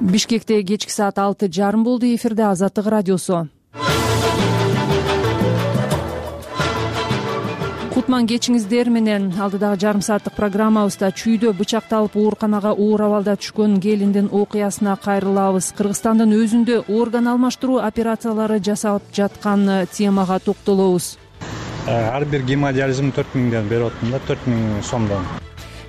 Бишкекте кечки саат 6:30 болду. Эфирде Азаттык радиосу. Кутман кечиңиздер менен. Алдыдагы жарым сааттык программабызда чүйдө бычакталып ооруканага оор абалда түшкөн келиндин окуясына кайрылабыз. Кыргызстандын өзүндө орган алмаштыруу операциялары жасалып жаткан темага токтолобуз. Ар бир гемодиализм 4000ден берип атам да, 4000 сомдон.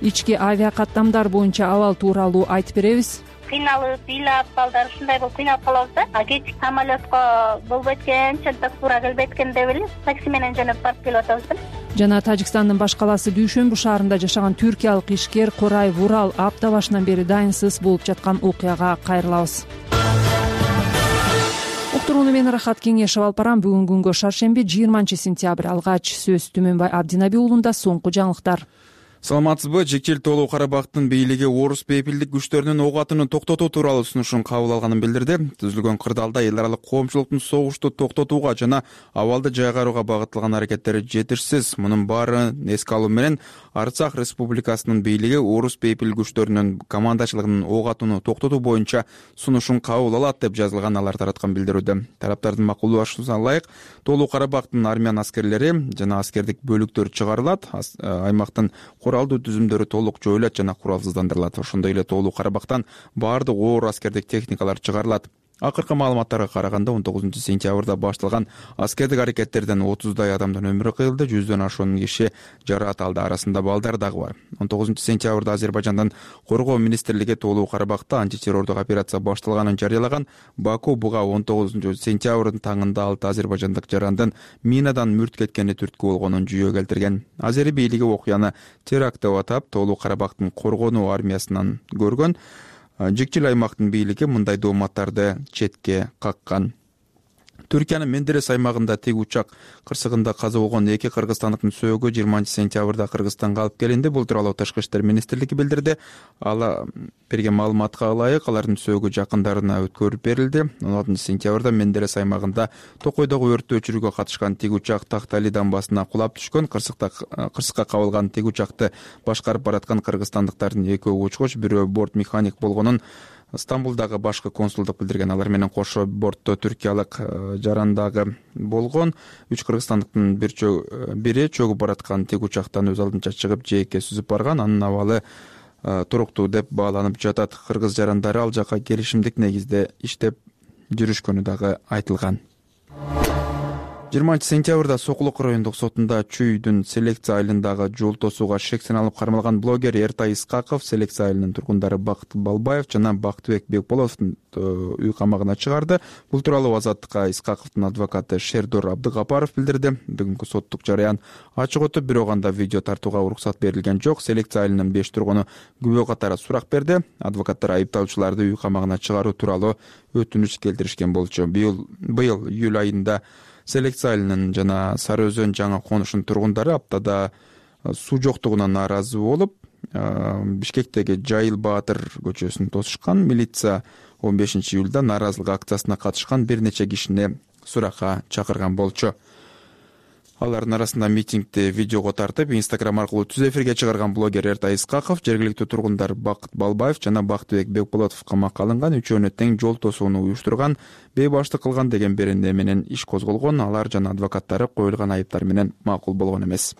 Ички авиакаттамдар боюнча абал тууралуу айтып беребиз. Кыйналып, ыйлап, балдар ушундай болуп кыйналып калабыз да. Кечки самолетко болбойт экен, чынтак туура келбейт экен деп эле такси менен жөнөп барып келип атабыз да. Жана Тажикстандын баш калаасы Дүйшөнбү шаарында жашаган түркиялык ишкер Корай Вурал апта башынан бери дайынсыз болуп жаткан окуяга кайрылабыз. Уктурууну мен Рахат Кеңешев алып барам. Бүгүнкү күнгө шаршемби 20-сентябрь. Алгач сөз Түмөнбай Абдинаби уулунда соңку жаңылыктар. Саламатсызбы? Жекчил Тоолуу Карабактын бийлиги орус бейпилдик күчтөрүнүн ок атуун токтотуу тууралуу сунушун кабыл алганын билдирди. Түзүлгөн кырдаалда эл аралык коомчулуктун согушту токтотууга жана абалды жайгарууга багытталган аракеттери жетишсиз. Мунун баарын эске алуу менен Арцах Республикасынын бийлиги орус бейпилдик күчтөрүнүн командачылыгынын ок атууну токтотуу боюнча сунушун кабыл алат деп жазылган алар тараткан билдирүүдө. Тараптардын макулдашуусуна ылайык Тоолуу Карабактын армян аскерлери жана аскердик бөлүктөр чыгарылат. Аймактын куралдуу түзүмдөрү толук жоюлат жана куралсыздандырылат. Ошондой эле Тоолуу Карабактан баардык оор аскердик техникалар чыгарылат. Акыркы маалыматтарга караганда 19-сентябрда башталган аскердик аракеттерден 30дай адамдын өмүрү кыйылды, 100дөн ашуун киши жараат алды, арасында балдар дагы бар. 19-сентябрда Азербайжандын Коргоо министрлиги Тоолуу Карабакта антитеррордук операция башталганын жарыялаган. Баку буга 19-сентябрдын таңында 6 азербайжандык жарандын минадан мүрт кеткени түрткү болгонун жүйө келтирген. Азери бийлиги окуяны теракт деп атап, Тоолуу Карабактын коргонуу армиясынан көргөн. Жекчил аймактын бийлиги мындай дооматтарды четке каккан. Түркиянын Мендерес аймагында тиг учак кырсыгында каза болгон 2 кыргызстандыктын сөөгү 20-сентябрда Кыргызстанга алып келинди. Бул тууралуу Тышкы иштер министрлиги билдирди. Ала берген маалыматка ылайык алардын сөөгү жакындарына өткөрүп берилди. 16-сентябрда Мендерес аймагында Токойдогу өрттү өчүрүүгө катышкан тиг учак Тактали дамбасына кулап түшкөн. Кырсыкка кабылган тиг учакты башкарып бараткан кыргызстандыктардын экөө учкуч, бирөө борт механик болгонун Стамбулдагы башкы консулдук билдирген. Алар менен кошо бортто түркиялык жарандагы болгон. 3 кыргызстандыктын бири чөгүп бараткан тиг учактан өз алдынча чыгып жээкке сүзүп барган. Анын абалы туруктуу деп бааланып жатат. Кыргыз жарандары ал жака келишимдик негизде иштеп жүрүшкөнү дагы айтылган. 20-сентябрда Сокулук райондук сотунда Чүйдүн селекция айылындагы жол тосууга шек саналып кармалган блогер Эртай Искаков, селекция айылынын тургундары Бакыт Балбаев жана Бактыбек Бекболовдун үй камагына чыгарды. Бул тууралуу Азаттыкка Искаковдун адвокаты Шердор Абдыгапаров билдирди. Бүгүнкү соттук жарыян ачык өтүп, бирок анда видео тартууга уруксат берилген жок. Селекция айылынын 5 тургуну күбө катары сурак берди. Адвокаттар айыпталуучуларды үй камагына чыгаруу тууралуу өтүнүч келтиришкен болчу. Быйыл июль айында селекция айылынын жана Сары Өзөн жаңа конушунун тургундары аптада суу жоктугуна нааразы болуп, Бишкектеги Жайыл Баатыр көчөсүн тосушкан. Милиция 15-июлда нааразылык акциясына катышкан бир нече кишини суракка чакырган болчу. Алардын арасында митингди видеого тартып, Instagram аркылуу түз эфирге чыгарган блогер Эртай Искаков, жергиликтүү тургундар Бакыт Балбаев жана Бактыбек Бекболотов камакка алынган. Үчөөнө тең жол тосууну уюштурган, бейбаштык кылган деген беренде менен иш козголгон. Алар жана адвокаттары коюлган айыптар менен макул болгон эмес.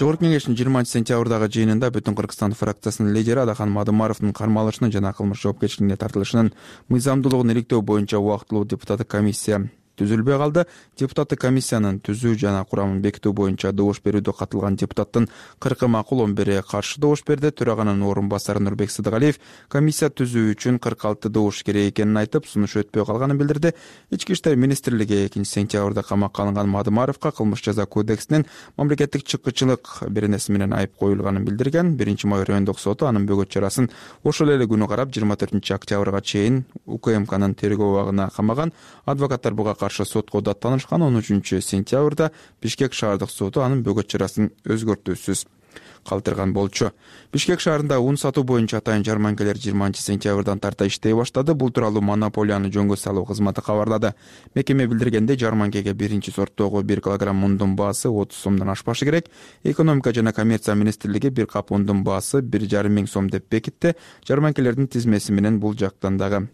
Жогорку Кеңештин 20-сентябрдагы жыйынында Бүтүн Кыргызстан фракциясынын лидери Адахан Мадымаровдун кармалышынын жана кылмыш жоопкерчилигине тартылышынын мыйзамдуулугун иликтөө боюнча убактылуу депутаттык комиссия түзүлбөй калды. Депутаттык комиссиянын түзүү жана курамын бекитүү боюнча добуш берүүдө катылган депутаттын 40 макул, 11 каршы добуш берди. Төраганын орун басары Нурбек Сыдыгалиев комиссия түзүү үчүн 46 добуш керек экенин айтып, сунуш өтпөй калганын билдирди. Ички иштер министрлиги 2-сентябрда камакка алынган Мадымаровго кылмыш жаза кодексинин мамлекеттик чыккычылык беренеси менен айып коюлганын билдирген. 1-май райондук соту анын бөгөт чарасын ошол эле күнү карап 24-октябрга чейин УКМКнын тергөө абагына камаган. Адвокаттар буга каршы сотко даттанышкан. 13-сентябрда Бишкек шаардык соту анын бөгөт чарасын өзгөртүүсүз калтырган болчу. Бишкек шаарында ун сатуу боюнча атайын жарманкелер 20-сентябрдан тарта иштей баштады. Бул тууралуу монополияны жөнгө салуу кызматы кабарлады. Мекеме билдиргендей, жарманкеге биринчи сорттогу 1 килограмм ундун баасы 30 сомдон ашпашы керек. Экономика жана коммерция министрлиги 1 кап ундун баасы 1,5 миң сом деп бекитти. Жарманкелердин тизмеси менен бул жактан дагы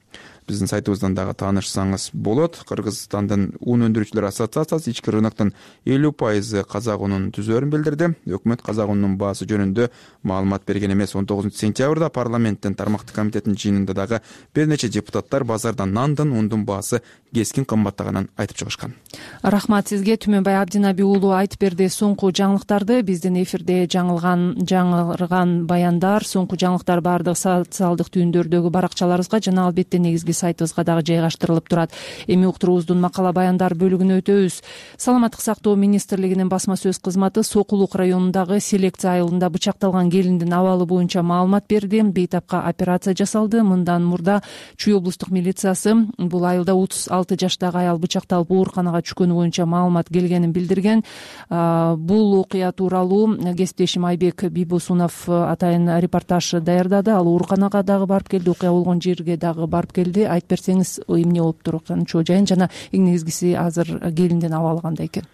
биздин сайтыбыздан дагы таанышсаңыз болот. Кыргызстандын ун өндүрүүчүлөр ассоциациясы ички рыноктун 50% казак унун түзөөрүн билдирди. Өкмөт казак унунун баасы жөнүндө маалымат берген эмес. 19-сентябрда парламенттин тармактык комитетинин жыйынында дагы бир нече депутаттар базарда нандын, ундун баасы кескин кымбаттаганын айтып чыгышкан. Рахмат сизге. Түмөнбай Абдинаби уулу айтып берди соңку жаңылыктарды. Биздин эфирде жаңырган баяндар, соңку жаңылыктар баардык социалдык түйүндөрдөгү баракчаларыбызга жана албетте негизги сайтыбызга дагы жайгаштырылып турат. Эми уктуруубуздун макала баяндар бөлүгүнө өтөбүз. Саламаттык сактоо министрлигинин басма сөз кызматы Сокулук районундагы селекция айылында бычакталган келиндин абалы боюнча маалымат берди. Бейтапка операция жасалды. Мындан мурда Чүй облустук милициясы бул айылда 36 жаштагы аял бычакталып ооруканага түшкөнү боюнча маалымат келгенин билдирген. Бул окуя тууралуу кесиптешим Айбек Бийбосунов атайын репортаж даярдады. Ал ооруканага дагы барып келди, окуя болгон жерге дагы барып келди. Айтып берсеңиз, эмне болуп турганын чоо жайын жана эң негизгиси азыр келиндин абалы кандай экен?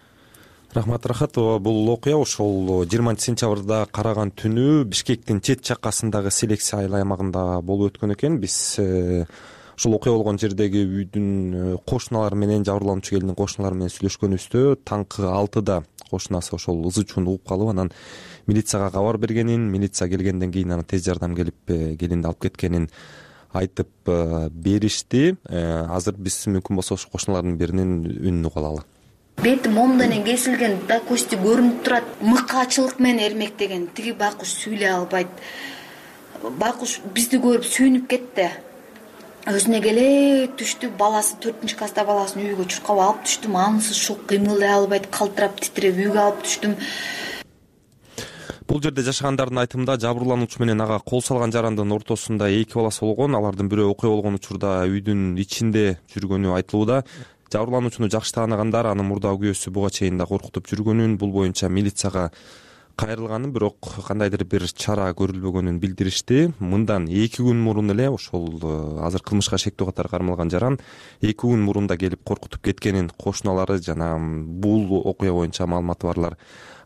Рахмат, Рахат. Бул окуя ошол 20-сентябрда караган түнү Бишкектин чет жаккасындагы селекция айыл аймагында болуп өткөн экен. Биз ушул окуя болгон жердеги үйдүн кошуналары менен, жабырлануучу келиндин кошуналары менен сүйлөшкөнүбүздө таңкы 6-да кошунасы ошол ызы чууну угуп калып, анан милицияга кабар бергенин, милиция келгенден кийин анан тез жардам келип келинди алып кеткенин айтып беришти. Азыр биз мүмкүн болсо ошол кошуналардын биринин үнүн угуп алалы. Бети момдон кесилген, да кости көрүнүп турат. Мыкаачылык менен эрмектеген. Тиги байкуш сүйлөй албайт. Байкуш бизди көрүп сүйүнүп кетти. Өзүнө келе түштү. Баласы 4-класста баласын үйгө чуркап алып түштүм. Анысы шок, кыймылдай албайт, калтырап титиреп үйгө алып түштүм. Бул жерде жашагандардын айтымында жабырлануучу менен ага кол салган жарандын ортосунда 2 баласы болгон. Алардын бирөө окуя болгон учурда үйдүн ичинде жүргөнү айтылууда. Жабырлануучуну жакшы тааныгандар анын мурдагы күйөөсү буга чейин да коркутуп жүргөнүн, бул боюнча милицияга кайрылганын, бирок кандайдыр бир чара көрүлбөгөнүн билдиришти. Мындан 2 күн мурун эле ошол азыр кылмышка шектүү катары кармалган жаран 2 күн мурун да келип коркутуп кеткенин кошуналары жана бул окуя боюнча маалыматы барлар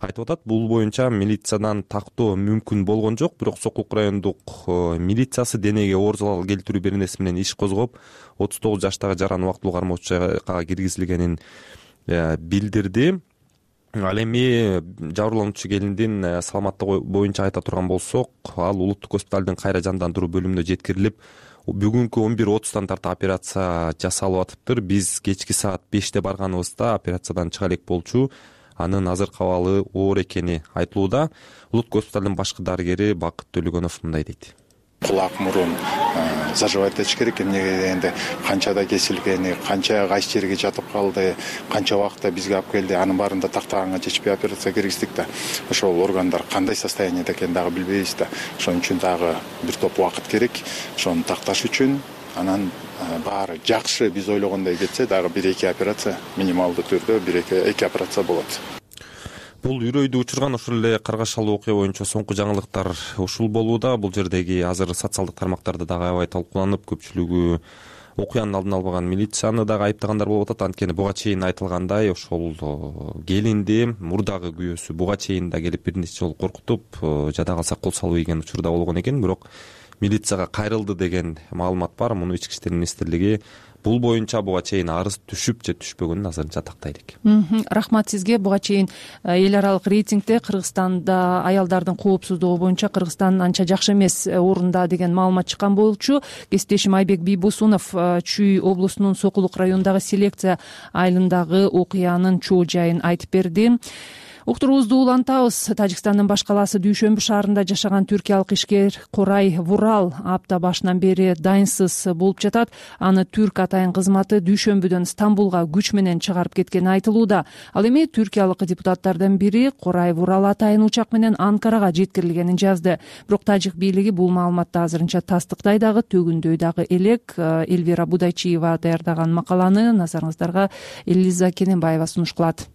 айтып атат. Бул боюнча милициядан тактоо мүмкүн болгон жок, бирок Сокулук райондук милициясы денеге оор залал келтирүү беренеси менен иш козгоп, 39 жаштагы жаран убактылуу кармоочуга киргизилгенин билдирди. Ал эми жабырлануучу келиндин саламаттыгы боюнча айта турган болсок, ал улуттук госпиталдын кайра жандандыруу бөлүмүнө жеткирилип, бүгүнкү 11:30 тарта операция жасалып атыптыр. Биз кечки саат 5-те барганыбызда операциядан чыга элек болчу. Анын азыркы абалы оор экени айтылууда. Улуттук госпиталдын башкы дарыгери Бакыт Төлөгөнов мындай дейт. Кулак мурун заживать этиш керек. Эмнеге дегенде канчада кесилгени, канча кайсы жерге жатып калды, канча убакытта бизге алып келди, анын баарында тактаганга жетишпей операция киргиздик да. Ошол органдар кандай состояниеде экенин дагы билбейбиз да. Ошон үчүн дагы бир топ убакыт керек. Ошону такташ үчүн анан баары жакшы биз ойлогондой кетсе дагы 1-2 операция, минималдуу түрдө 1-2 операция болот. Бул үрөйдү учурган ошол эле каргашалуу окуя боюнча соңку жаңылыктар ушул болууда. Бул жердеги азыр социалдык тармактарда дагы аябай талкууланып, көпчүлүгү окуянын алдын албаган милицияны дагы айыптагандар болуп атат. Анткени буга чейин айтылгандай, ошол келинди мурдагы күйөөсү буга чейин да келип бир нече жолу коркутуп, жада калса кол салып ийген учурда болгон экен, бирок милицияга кайрылды деген маалымат бар. Муну Ички иштер министрлиги бул боюнча буга чейин арыз түшүп же түшпөгөнүн азырынча тактай элек. Рахмат сизге. Буга чейин эл аралык рейтингде Кыргызстанда аялдардын коопсуздугу боюнча Кыргызстан анча жакшы эмес орунда деген маалымат чыккан болчу. Кесиптешим Айбек Бийбосунов Чүй облусунун Сокулук районундагы селекция айылындагы окуянын чоо жайын айтып берди. Уктуруубузду улантабыз. Тажикстандын баш калаасы Дүйшөмбү шаарында жашаган түркиялык ишкер Корай Вурал апта башынан бери дайынсыз болуп жатат. Аны түрк атайын кызматы Дүйшөмбүдөн Стамбулга күч менен чыгарып кеткени айтылууда. Ал эми түркиялык депутаттардан бири Корай Вурал атайын учак менен Анкарага жеткирилгенин жазды. Бирок тажик бийлиги бул маалыматты азырынча тастыктай дагы, төгүндөй дагы элек. Элвира Будайчиева даярдаган макаланы назарыңыздарга Элиза Кененбаева сунуш кылат.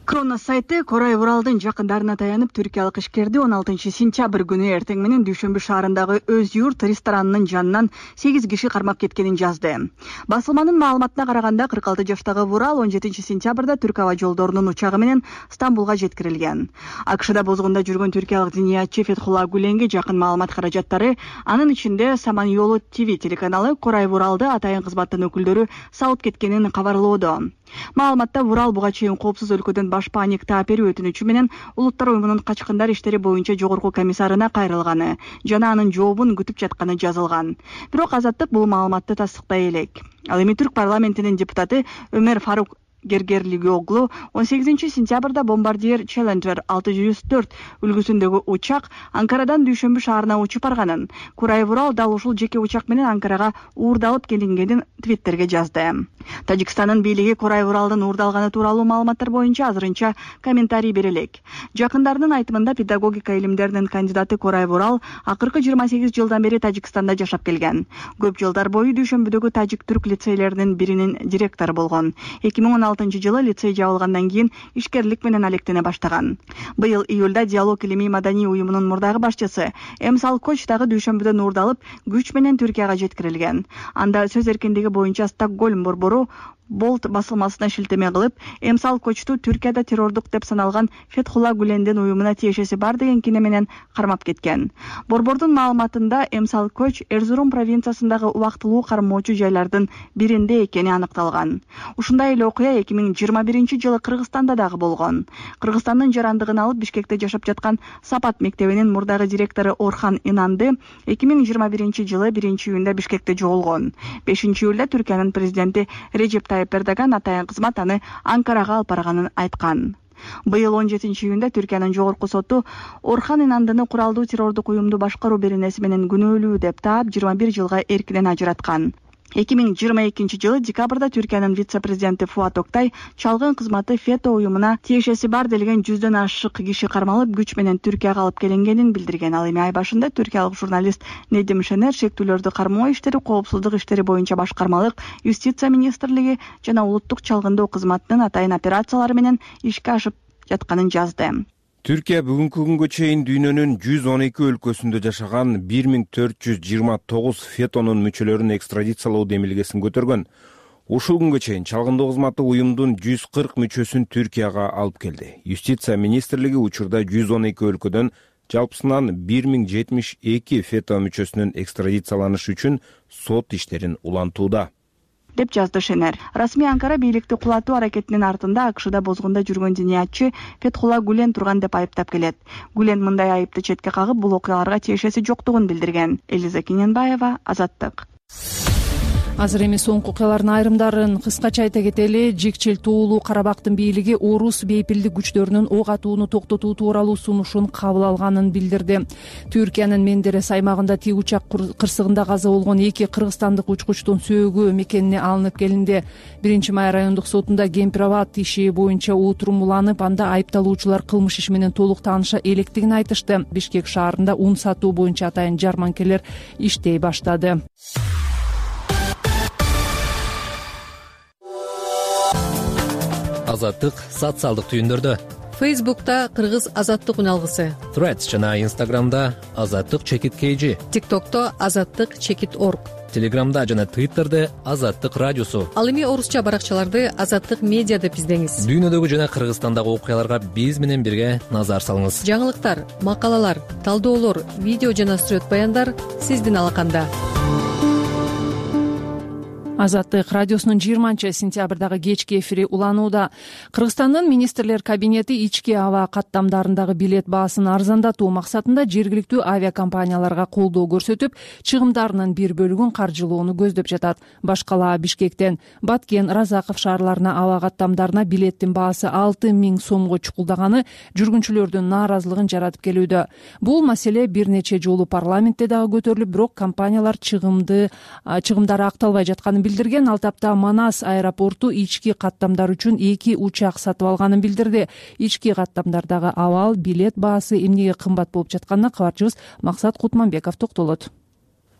Кронос сайты Корай Уралдын жакындарына таянып, түркиялык ишкерди 16 сентябрь күнү эртең менен Дүйшөмбү шаарындагы Өз юрт ресторанынын жанынан 8 киши кармап кеткенин жазды. Басылманын маалыматына караганда 46 жаштагы Урал 17 сентябрда Түрк аба жолдорунун учагы менен Стамбулга жеткирилген. АКШда бозгунда жүргөн түркиялык диниятчы Фетхулла Гуленге жакын маалымат каражаттары, анын ичинде Саман-Йолу ТВ телеканалы Корай Уралды атайын кызматтын өкүлдөрү салып кеткенин кабарлоодо. Маалыматта Урал буга чейин коопсуз өлкөдөн баш паник тааперүү өтүнүчү менен Улуттар уюмунун качкындар иштери боюнча жогорку комиссарына кайрылганы жана анын жообун күтүп жатканы жазылган. Бирок Азаттык бул маалыматты тастыктай элек. Ал эми Түрк парламентинин депутаты Өмөр Фарук Гергерлигиоглу 18 сентябрда Бомбардиер Challenger 604 үлгүсүндөгү учак Анкарадан Дүйшөмбү шаарына учуп барганын, Корай Урал дал ушул жеке учак менен Анкарага уурдалып келингенин твиттерге жазды. Тажикстандын бийлиги Корай Уралдын уурдалганы тууралуу маалыматтар боюнча азырынча комментарий бере элек. Жакындарынын айтымында педагогика илимдеринин кандидаты Корай Урал акыркы 28 жылдан бери Тажикстанда жашап келген. Көп жылдар бою Дүйшөмбүдөгү тажик-түрк лицейлеринин биринин директору болгон. 2016-жылы лицей жабылгандан кийин ишкерлик менен алектене баштаган. Быйыл июлда Диалог илимий маданий уюмунун мурдагы башчысы Эмсал Коч дагы Дүйшөмбүдөн уурдалып, күч менен Түркияга жеткирилген. Анда сөз эркиндиги боюнча Стокгольм борбору Болт басылмасына шилтеме кылып, Эмсал Кочту Түркияда террордук деп саналган Фетхулла Гулендин уюмуна тиешеси бар деген кине менен кармап кеткен. Борбордун маалыматында Эмсал Коч Эрзурум провинциясындагы убактылуу кармоочу жайлардын биринде экени аныкталган. Ушундай эле окуя 2021-жылы Кыргызстанда дагы болгон. Кыргызстандын жарандыгын алып Бишкекте жашап жаткан Сапат мектебинин мурдагы директору Орхан Инанды 2021-жылы 1-июнда Бишкекте жоголгон. 5-июлда Түркиянын президенти Режеп Эрдоган атайын кызмат аны Анкарага алып барганын айткан. Быйыл 17-июнда Түркиянын жогорку соту Орхан Инандыны куралдуу террордук уюмду башкаруу беренеси менен күнөөлүү деп таап 21 жылга эркинен ажыраткан. 2022-жылы декабрда Түркиянын вице-президенти Фуат Октай чалгын кызматы ФЕТО уюмуна тиешеси бар делген 100дөн ашык киши кармалып, күч менен Түркияга алып келингенин билдирген. Ал эми ай башында түркиялык журналист Недим Шенер шектүүлөрдү кармоо иштери, коопсуздук иштери боюнча башкармалык, Юстиция министрлиги жана улуттук чалгындоо кызматынын атайын операциялары менен ишке ашып жатканын жазды. Түркия бүгүнкү күнгө чейин дүйнөнүн 112 өлкөсүндө жашаган 1429 ФЕТОнун мүчөлөрүн экстрадициялоо демилгесин көтөргөн. Ушул күнгө чейин чалгындоо кызматы уюмдун 140 мүчөсүн Түркияга алып келди. Юстиция министрлиги учурда 112 өлкөдөн жалпысынан 1072 ФЕТО мүчөсүнүн экстрадицияланышы үчүн сот иштерин улантууда, деп жазды Шенер. Расмий Анкара бийликти кулатуу аракетинин артында АКШда бозгунда жүргөн диниятчы Фетхулла Гулен турган деп айыптап келет. Гулен мындай айыпты четке кагып, бул окуяларга тиешеси жоктугун билдирген. Элиза Кененбаева, Азаттык. Азыр эми соңку окуялардын айрымдарын кыскача айта кетели. Жикчил туулуу Карабактын бийлиги орус бейпилдик күчтөрүнүн ок атууну токтотуу тууралуу сунушун кабыл алганын билдирди. Түркиянын Мендерес аймагында тик учак кырсыгында каза болгон 2 кыргызстандык учкучтун сөөгү мекенине алынып келинди. 1-май райондук сотунда Кемпирабад иши боюнча отурум уланып, анда айыпталуучулар кылмыш иши менен толук тааныша электигин айтышты. Бишкек шаарында ун сатуу боюнча атайын жарманкелер иштей баштады. Азаттык социалдык түйүндөрдө. Фейсбукта Кыргыз азаттык үналгысы, Threads жана Instagramда Азаттык _KG, TikTokто Азаттык_org, Телеграмда жана Twitterде Азаттык радиосу. Ал эми орусча баракчаларды Азаттык медиа деп издеңиз. Дүйнөдөгү жана Кыргызстандагы окуяларга биз менен бирге назар салыңыз. Жаңылыктар, макалалар, талдоолор, видео жана сүрөт баяндар сиздин алаканда. Азаттык радиосунун 20-сентябрдагы кечки эфири уланууда. Кыргызстандын министрлер кабинети ички аба каттамдарындагы билет баасын арзандатуу максатында жергиликтүү авиакомпанияларга колдоо көрсөтүп, чыгымдарынын бир бөлүгүн каржылоону көздөп жатат. Баш кала Бишкектен Баткен, Разаков шаарларына аба каттамдарына билеттин баасы 6000 сомго чукулдаганы жүргүнчүлөрдүн нааразылыгын жаратып келүүдө. Бул маселе бир нече жолу парламентте дагы көтөрүлүп, бирок компаниялар чыгымдары акталбай жатканын билдирген. Ал тапта Манас аэропорту ички каттамдар үчүн 2 учак сатып алганын билдирди. Ички каттамдардагы абал билет баасы эмнеге кымбат болуп жатканына кабарчыбыз Максат Кутманбеков токтолот.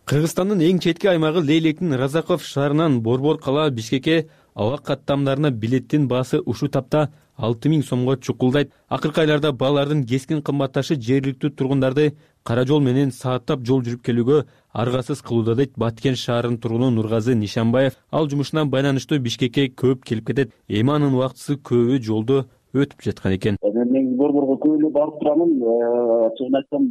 Кыргызстандын эң четки аймагы Лейлектин Разаков шаарынан Борбор кала Бишкекке аба каттамдарына билеттин баасы ушул тапта 6000 сомго чукулдайт. Акыркы айларда баалардын кескин кымбатташы жергиликтүү тургундарды кара жол менен сааттап жол жүрүп келүүгө аргасыз кылууда дейт Баткен шаарынын тургуну Нургазы Нишанбаев. Ал жумушуна байланыштуу Бишкекке көп келип кетет. Эми анын убактысы көбү жолдо өтүп жаткан экен. Мен Борборго көп эле барып турамын. Чын айтсам,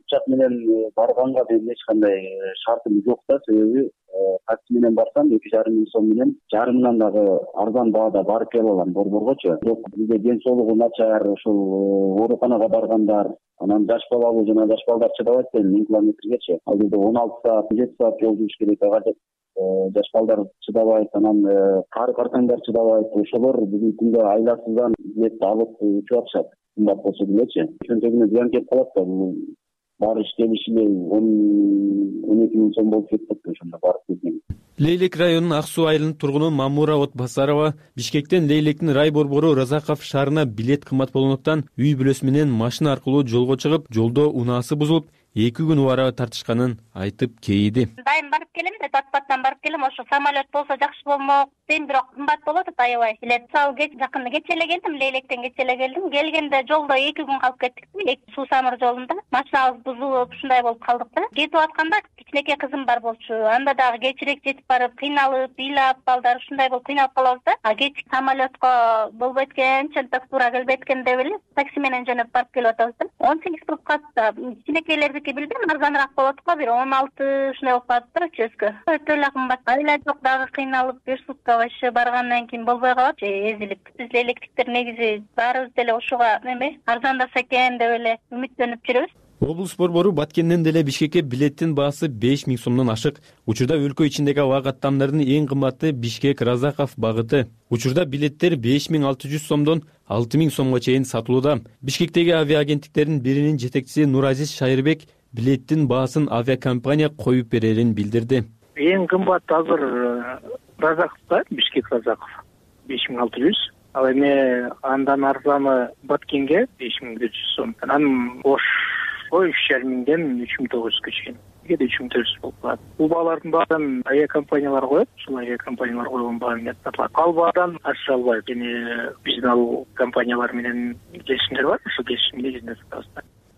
учак менен барганга менин эч кандай шартым жок да. Себеби такси менен барсам 2,5 сом менен жарымынан дагы арзан баада барып келе алам Борборгочу. Бирок бизде ден соолугу начар, ушул ооруканага баргандар, анан жаш балалуу жана жаш балдар чыдабайт да 1000 километргечи. Ал жерде 16 саат, 7 саат жол жүрүш керек. Ага жаш балдар чыдабайт, анан кары картаңдар чыдабайт. Ошолор бүгүнкү күндө айласыздан билет алып учуп атышат. Кымбат болсо делечи. Чөнтөгүнө зыян келип калат да. Барыш келиш эле 12 миң сом болуп кетет ошондо барып келген. Лейлек районунун Ак суу айылынын тургуну Мамура Отбасарова Бишкектен Лейлектин рай борбору Разаков шаарына билет кымбат болгондуктан үй бүлөсү менен машина аркылуу жолго чыгып, жолдо унаасы бузулуп, 2 күн убара тартышканын айтып кейиди. Дайым барып келем да, Батпаттан барып келем. Ошо самолет болсо жакшы болмок дейм, бирок кымбат болот аябай. Билет сал жакында кече эле келдим, Лейлектен кече эле келдим. Келгенде жолдо 2 күн калып кеттик. Суу самыр жолунда машинабыз бузулуп, ушундай болуп калдык да. Кетип атканда кичинекей кызым бар болчу. Анда дагы кечирээк жетип барып, кыйналып, ыйлап, балдар ушундай болуп кыйналып калабыз да. Кечки самолетко болбойт экен, чынтак туура келбейт экен деп эле такси менен жөнөп барып келип атабыз да. 18 трубкасы кичинекейлердики билбейм, арзаныраак болот го, бир 16 ушундай болуп калат да чөскө. Өтө эле кымбат. Айла жок дагы кыйналып, бир сутка башы баргандан кийин болбой калат, эзилип. Биз электриктер негизи баарыбыз деле ошого арзандаса экен деп эле үмүттөнүп жүрөбүз. Облус борбору Баткенден деле Бишкекке билеттин баасы 5000 сомдон ашык. Учурда өлкө ичиндеги аба каттамдардын эң кымбаты Бишкек Разаков багыты. Учурда билеттер 5600 сомдон 6000 сомго чейин сатылууда. Бишкектеги авиаагенттиктердин биринин жетекчиси Нуразис Шайырбек билеттин баасын авиакомпания коюп берерин билдирди. Эң кымбат азыр Разаковда, Бишкек Разаков 5600. Ал эми андан арзаны Баткенге 5400 сом. Анан Ош 3,5 миңден 3900 чейин. Кээде 3400 болуп калат. Бул баалардын баарын авиакомпаниялар коет. Ушул авиакомпаниялар койгон баа менен сатылат. Ал баадан аша албайт. Эми биздин ал компаниялар менен келишимдер бар. Ошол келишим негизинде сатабыз.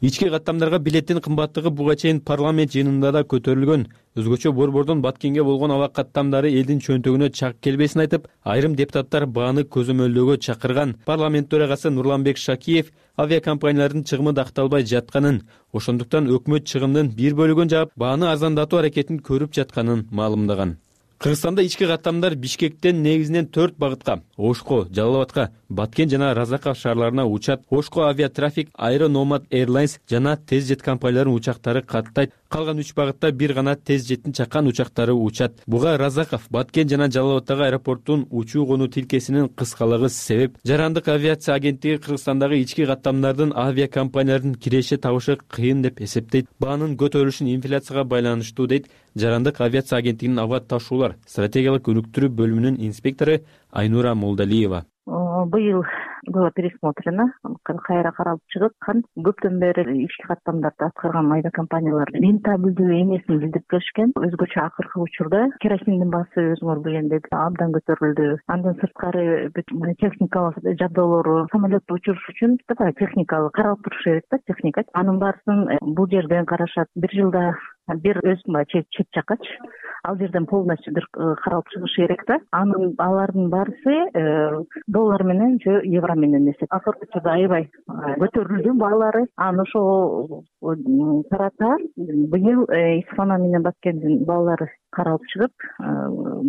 Ички каттамдарга билеттин кымбаттыгы буга чейин парламент жыйынында да көтөрүлгөн. Өзгөчө борбордон Баткенге болгон аба каттамдары элдин чөнтөгүнө чак келбесин айтып, айрым депутаттар бааны көзөмөлдөөгө чакырган. Парламент төрагасы Нурланбек Шакиев авиакомпаниялардын чыгымы дакталбай жатканын, ошондуктан өкмөт чыгымдын бир бөлүгүн жаап, бааны арзандатуу аракетин көрүп жатканын маалымдаган. Кыргызстанда ички каттамдар Бишкектен негизинен 4 багытка — Ошко, Жалал Абадка, Баткен жана Разаков шаарларына учат. Ошко Авиатрафик, Aero Nomad Airlines жана тез жет компанияларынын учактары каттайт. Калган 3 багытта бир гана тез жеттин чакан учактары учат. Буга Разаков, Баткен жана Жалал Абадтагы аэропорттун учуу конуу тилкесинин кыскалыгы себеп. Жарандык авиация агенттиги Кыргызстандагы ички каттамдардын авиакомпаниялардын киреше табышы кыйын деп эсептейт. Баанын көтөрүлүшүн инфляцияга байланыштуу дейт Жарандык авиация агенттигинин аба ташуулар стратегиялык өнүктүрүү бөлүмүнүн инспектору Айнура Молдалиева. Быйыл было пересмотрено, кайра каралып чыгып, көптөн бери ички каттамдарды аткарган авиакомпаниялар рентабелдүү эмесин билдирип келишкен. Өзгөчө акыркы учурда керосиндин баасы өзүңөр билгендей абдан көтөрүлдү. Андан сырткары техникалык жабдуулары, самолетту учуруш үчүн техникалык каралып туруш керек да, техника. Анын баарысын бул жерден карашат. Бир жылда бир чек жакач. Ал жерден полностью каралып чыгыш керек да. Алардын баарысы доллар менен же евро менен эсеп. Акыркы учурда аябай көтөрүлдү баалары. Аны ошол тарата быйыл Исфана менен Баткендин баалары каралып чыгып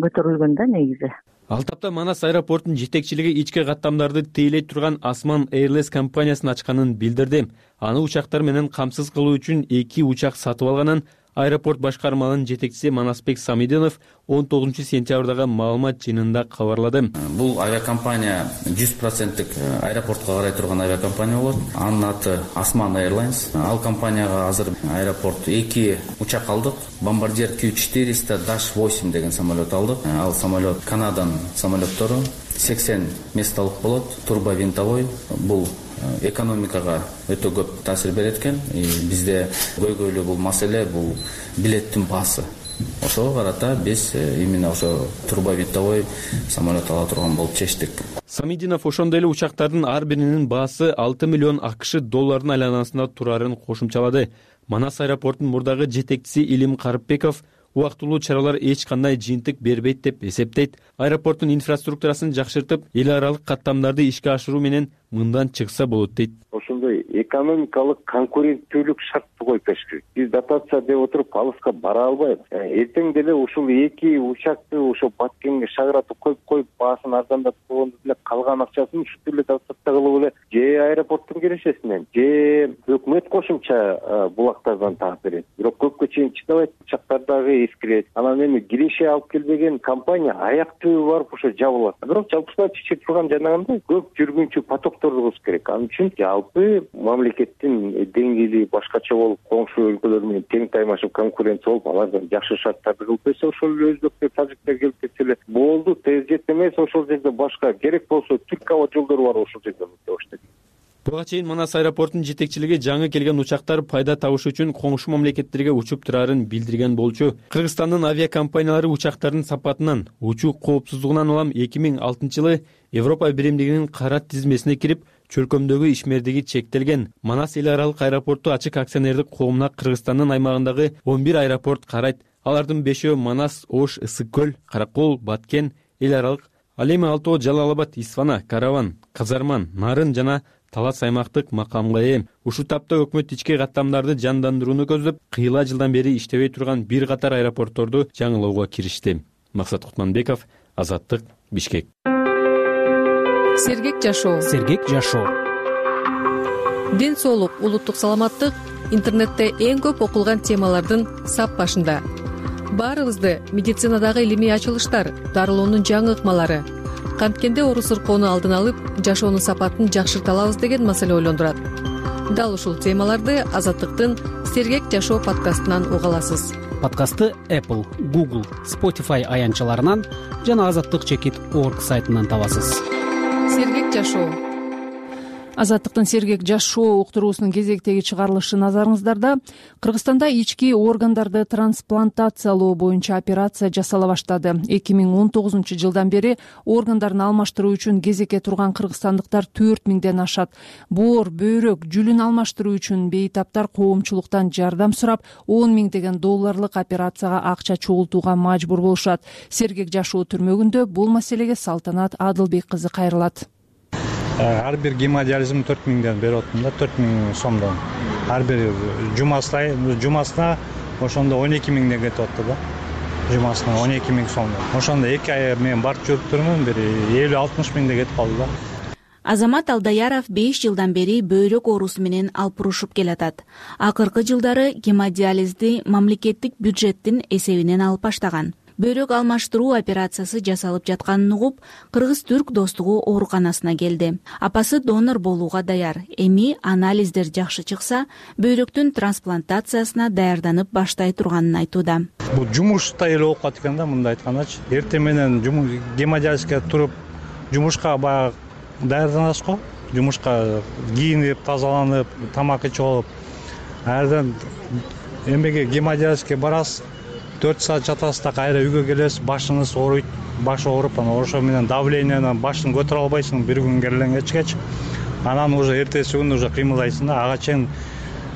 көтөрүлгөн да негизи. Ал тапта Манас аэропортунун жетекчилиги ички каттамдарды тейлей турган Asman Airlines компаниясын ачканын билдирди. Аны учактар менен камсыз кылуу үчүн 2 учак сатып алганын аэропорт башкармалыгынын жетекчиси Манасбек Самидинов 19 сентябрдагы маалымат жыйынында кабарлады. Бул авиакомпания 100% аэропортко карай турган авиакомпания болот. Анын аты Asman Airlines. Ал компанияга азыр аэропорт 2 учак алдык. Bombardier Q400-8 деген самолет алдык. Ал самолет Канаданын самолеттору. 80 местолук болот. Турбовинтовой. Бул экономикага өтө көп таасир берет экен. Бизде көйгөйлүү бул маселе бул билеттин баасы. Ошого карата биз именно ошо турбовинтовой самолет ала турган болуп чечтик. Самидинов ошондой эле учактардын ар биринин баасы 6 миллион АКШ долларынын айланасында турарын кошумчалады. Манас аэропортунун мурдагы жетекчиси Илим Карыпбеков убактылуу чаралар эч кандай жыйынтык бербейт деп эсептейт. Аэропорттун инфраструктурасын жакшыртып, эл аралык каттамдарды ишке ашыруу менен мындан чыкса болот дейт. Ошондой экономикалык конкуренттүүлүк шартты коюп бериш керек. Биз дотация деп отуруп алыска бара албайбыз. Эртең деле ушул 2 учакты ошо Баткенге шагыратып коюп баасын арзандатып койгондо деле калган акчасын ушул эле дотация кылып эле же аэропорттун киришесинен же өкмөт кошумча булактардан таап берет. Бирок көпкө чейин чыдабайт, учактардагы эскирет. Анан эми киреше алып келбеген компания аяк түбү барып ошо жабылат. Бирок жалпысынан чечип турган жанагындай көп жүргүнчү потокторду кылыш керек. Ал үчүн жалпы мамлекеттин деңгээли башкача болуп, коңшу өлкөлөр менен тең таймашып конкуренция болуп, алардан жакшы шарттарды кылып берсе, ошол эле өзбектер, тажиктер келип кетсе эле болду. Тез жет эмес, ошол жерде башка керек болсо Түрк аба жолдору бар, ошол жерден өтөбүз. Буга чейин Манас аэропортунун жетекчилиги жаңы келген учактар пайда табыш үчүн коңшу мамлекеттерге учуп турарын билдирген болчу. Кыргызстандын авиакомпаниялары учактардын сапатынан, учуу коопсуздугунан улам 2006-жылы Европа биримдигинин кара тизмесине кирип, чөлкөмдөгү ишмердиги чектелген. Манас эл аралык аэропорту ачык акционердик коомуна Кыргызстандын аймагындагы 11 аэропорт карайт. Алардын 5-өө Манас, Ош, Ысык көл, Каракол, Баткен эл аралык. Ал эми 6 Жалал-Абад, Исфана, Караван, Казарман, Нарын жана Талас аймактык макамга ээ. Ушул тапта өкмөт ички каттамдарды жандандырууну көздөп, кыйла жылдан бери иштебей турган бир катар аэропортторду жаңылоого киришти. Максат Кутманбеков, Азаттык, Бишкек. Сергек жашоо. Сергек жашоо. Ден соолук, улуттук саламаттык интернетте эң көп окулган темалардын сап башында. Баарыбызды медицинадагы илимий ачылыштар, дарылоонун жаңы ыкмалары, канткенде оору сыркоону алдын алып, жашоонун сапатын жакшырта алабыз деген маселе ойлондурат. Дал ушул темаларды Азаттыктын Сергек жашоо подкастынан уга аласыз. Подкастты Apple, Google, Spotify аянтчаларынан жана azattik.org сайтынан табасыз. Сергек жашоо. Азаттыктын Сергек жашоо уктуруусунун кезектеги чыгарылышы назарыңыздарда. Кыргызстанда ички органдарды трансплантациялоо боюнча операция жасала баштады. 2019-жылдан бери органдарын алмаштыруу үчүн кезекке турган кыргызстандыктар 4000ден ашат. Боор, бөйрөк, жүлүн алмаштыруу үчүн бейтаптар коомчулуктан жардам сурап, 10 миңдеген долларлык операцияга акча чогултууга мажбур болушат. Сергек жашоо түрмөгүндө бул маселеге Салтанат Адылбек кызы кайрылат. Ар бир гемодиализм 4000ден берип атам да, 4000 сомдон. Ар бир жумасына ошондо 12 миңден кетип атты да. Жумасына 12 миң сомдон. Ошондо 2 ай мен барып жүрүп турмун, бир 50-60 миңден кетип калды да. Азамат Алдаяров 5 жылдан бери бөйрөк оорусу менен алпурушуп келатат. Акыркы жылдары гемодиализди мамлекеттик бюджеттин эсебинен алып баштаган. Бөйрөк алмаштыруу операциясы жасалып жатканын угуп, Кыргыз-Түрк достугу ооруканасына келди. Апасы донор болууга даяр. Эми анализдер жакшы чыкса, бөйрөктүн трансплантациясына даярданып баштай турганын айтууда. Бул жумушта эле болуп калат экен да, мындай айткандачы. Эртең менен гемодиализге туруп, жумушка баягы даярданасыз го. Жумушка кийинип, тазаланып, тамак ичип алып, айрдан эмеге гемодиализге барасыз. 4 саат жатасыз да, кайра үйгө келесиз, башыңыз ооруйт, баш ооруп, анан ошо менен давлениянан башын көтөрө албайсың бир күн кергечкечи. Анан уже эртеси күнү уже кыймылдайсың да, ага чейин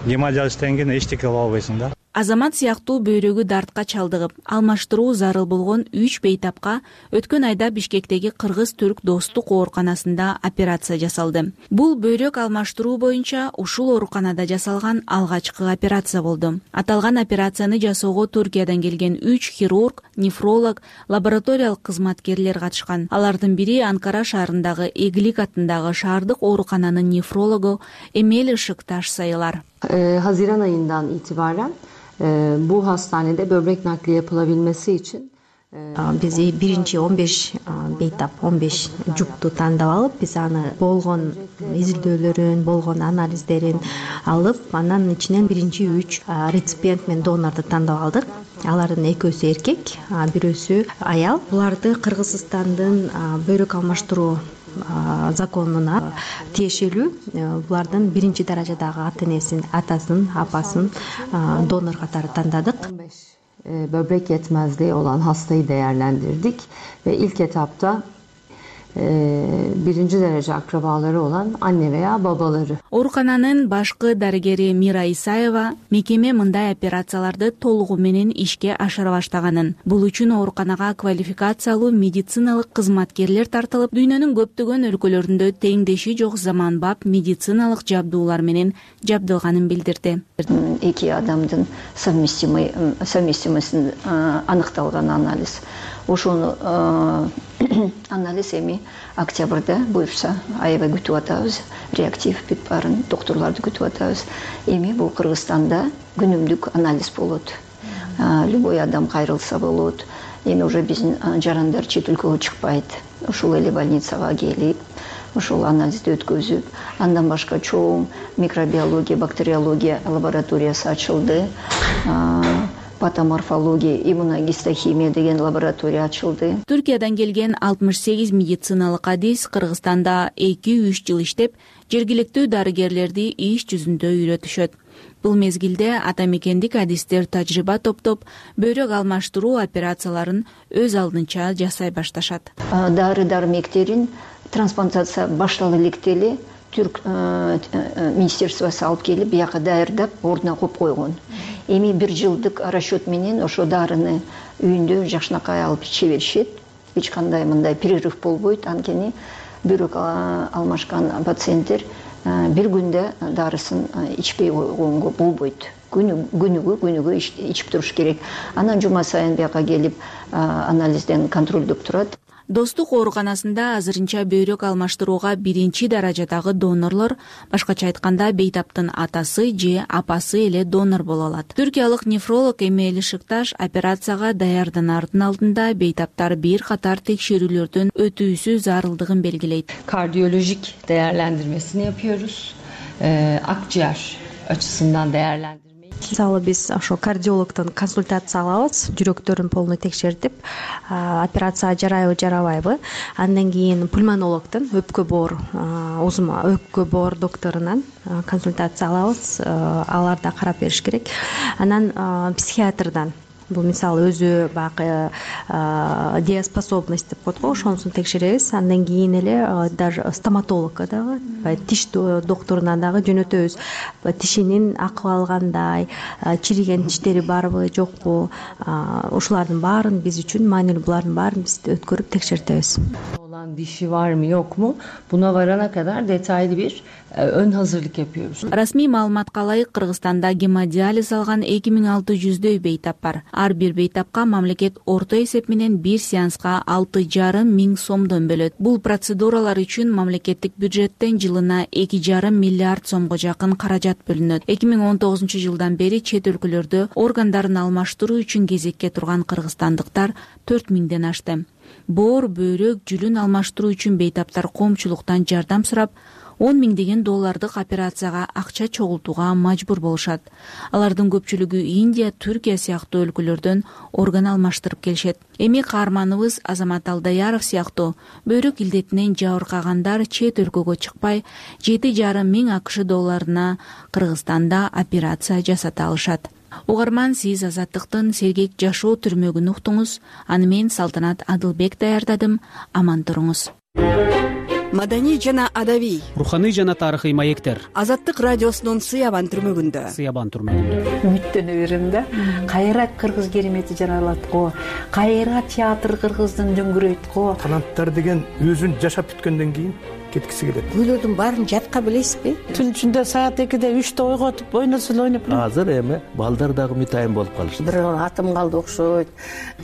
гемодиализден кийин эчтеке кыла албайсың да. Азамат сыяктуу бөйрөгү дартка чалдыгып, алмаштыруу зарыл болгон 3 бейтапка өткөн айда Бишкектеги Кыргыз-Түрк достук ооруканасында операция жасалды. Бул бөйрөк алмаштыруу боюнча ушул ооруканада жасалган алгачкы операция болду. Аталган операцияны жасоого Түркиядан келген 3 хирург, нефролог, лабораториялык кызматкерлер катышкан. Алардын бири Анкара шаарындагы Эглик атындагы шаардык оорукананын нефрологу Эмель Işıktaş sayılar. Haziran ayından itibaren bu hastanede böbrek nakli yapılabilmesi için Биз биринчи 15 бейтап 15 жупту тандап алып, биз аны болгон изилдөөлөрүн, болгон анализдерин алып, анан ичинен биринчи 3 реципиент менен донорду тандап алдык. Алардын экөөсү эркек, бирөөсү аял. Буларды Кыргызстандын бөйрөк алмаштыруу законуна тиешелүү булардын биринчи даражадагы ата энесин, атасын, апасын донор катары тандадык. Böbrek yetmezliği olan hastayı değerlendirdik ve ilk etapta birinci derece akrabaları olan anne veya babaları. Оорукананын башкы дарыгери Мира Исаева мекеме мындай операцияларды толугу менен ишке ашыра баштаганын, бул үчүн ооруканага квалификациялуу медициналык кызматкерлер тартылып, дүйнөнүн көптөгөн өлкөлөрүндө теңдеши жок заманбап медициналык жабдуулар менен жабдылганын билдирди. Эки адамдын совместимосун аныкталган анализ. Ошону анализ эми октябрда буюрса аябай күтүп атабыз. Реактив бүт баарын доктурларды күтүп атабыз. Эми бул Кыргызстанда күнүмдүк анализ болот. Любой адам кайрылса болот. Эми уже биздин жарандар чет өлкөгө чыкпайт. Ушул эле больницага келип, ошол анализди өткөзүп, андан башка чоң микробиология, бактериология лабораториясы ачылды. Патоморфология, иммуногистохимия деген лаборатория ачылды. Түркиядан келген 68 медициналык адис Кыргызстанда 2-3 жыл иштеп, жергиликтүү дарыгерлерди иш жүзүндө үйрөтүшөт. Бул мезгилде ата мекендик адистер тажрыйба топтоп, бөйрөк алмаштыруу операцияларын өз алдынча жасай башташат. Дары-дармектерин трансплантация баштала электели Түрк министерствосы алып келип, бияка даярдап, ордуна коюп койгон. Эми 1 жылдык расчет менен ошо дарыны үйүндө жакшынакай алып иче беришет. Эч кандай мындай перерыв болбойт. Анткени бөйрөк алмашкан пациенттер бир күндө дарысын ичпей койгонго болбойт. Күнүгө ичип туруш керек. Анан жума сайын бияка келип анализден контролдоп турат. Достук ооруканасында азырынча бөйрөк алмаштырууга биринчи даражадагы донорлор, башкача айтканда бейтаптын атасы же апасы эле донор боло алат. Түркиялык нефролог Эмели Шыкташ операцияга даярданардын алдында бейтаптар бир катар текшерүүлөрдөн өтүүсү зарылдыгын белгилейт. Kardiyolojik değerlendirmesini yapıyoruz. Akciğer açısından değerlendirmeyi. Мисалы биз ошо кардиологдон консультация алабыз, жүрөктөрүн полный текшертип, операция жарайбы, жарабайбы. Андан кийин пульмонологдон, өпкө боор, өпкө боор докторунан консультация алабыз. Алар да карап бериш керек. Анан психиатрдан, бул мисалы өзү баягы дееспособность деп коет го, ошонусун текшеребиз. Андан кийин эле даже стоматологко дагы, тиш докторунан дагы жөнөтөбүз. Тишинин акыбалы кандай, чириген тиштери барбы, жокпу, ушулардын баарын биз үчүн маанилүү, булардын баарын биз өткөрүп текшертебиз. Olan dişi var mı yok mu? Buna varana kadar detaylı bir ön hazırlık yapıyoruz. Расмий маалыматка ылайык Кыргызстанда гемодиализ алган 2600дөй бейтап бар. Ар бир бейтапка мамлекет орто эсеп менен бир сеанска 6,5 миң сомдон бөлөт. Бул процедуралар үчүн мамлекеттик бюджеттен жылына 2,5 миллиард сомго жакын каражат бөлүнөт. 2019-жылдан бери чет өлкөлөрдө органдарын алмаштыруу үчүн кезекке турган кыргызстандыктар 4000ден ашты. Боор, бөйрөк, жүлүн алмаштыруу үчүн бейтаптар коомчулуктан жардам сурап, $10 миңдик операцияга акча чогултууга мажбур болушат. Алардын көпчүлүгү Индия, Түркия сыяктуу өлкөлөрдөн орган алмаштырып келишет. Эми каарманыбыз Азамат Алдаяров сыяктуу бөйрөк илдетинен жабыркагандар чет өлкөгө чыкпай, $7,5 миң $7,5 Кыргызстанда операция жасата алышат. Угарман, сиз Азаттыктын сергек жашоо түрмөгүн уктуңуз. Аны мен Салтанат Адылбек даярдадым. Аман туруңуз. Маданий жана адабий, руханий жана тарыхый маектер. Азаттык радиосунун Сыябан түрмөгүндө. Үмүттөнө берем да. Кайра кыргыз керемети жаралат го. Кайра театр кыргыздын дөңгүрөйт го. Таланттар деген өзүн жашап бүткөндөн кийин кеткиси келет. Күйлөрдүн баарын жатка билесизби? Түн ичинде саат 2-де 3-те ойготуп, ойносул ойноп. Азыр эми балдар дагы мутайым болуп калышты. Бир атым калды окшойт.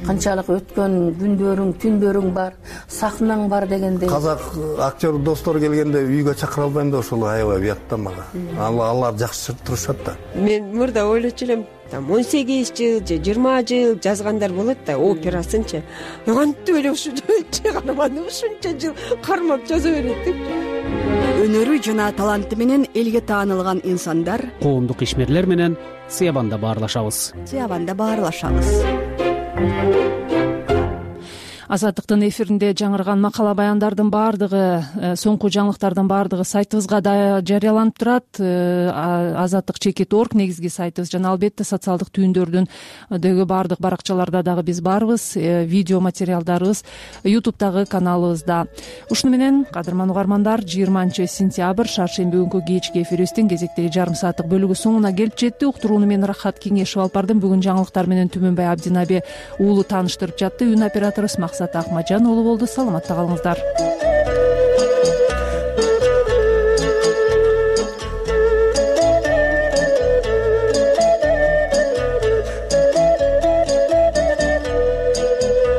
Канчалык өткөн күндөрүң, түндөрүң бар, сахнаң бар дегендей. Казак актер достор келгенде үйгө чакыра албайм да, ошол аябай уятта мага. Алар жакшы турушат да. Мен мурда ойлочу элем, 18 жыл же 20 жыл жазгандар болот да, операсынчы. Кантип эле ушунча карманы ушунча жыл кармап жаза берет деп. Өнөрү жана таланты менен элге таанылган инсандар коомдук ишмерлер менен Сыябанда баарлашабыз. Азаттыктын эфиринде жаңырган макала баяндардын баардыгы, соңку жаңылыктардын баардыгы сайтыбызга да жарыяланып турат. Azattik.org негизги сайтыбыз жана албетте социалдык түйүндөрдүндөгү баардык баракчаларда дагы биз барбыз. Видео материалдарыбыз YouTube'дагы каналыбызда. Ушуну менен кадырман угармандар, 20-сентябрь шаршемби күнкү кечки эфирибиздин кезектеги жарым сааттык бөлүгү соңуна келип жетти. Уктурууну мен Рахат Кеңешев алып бардым. Бүгүн жаңылыктар менен Түмөнбай Абдинаби уулу тааныштырып жатты. Үн операторубуз Максат Акмажан уулу болду. Саламатта калыңыздар.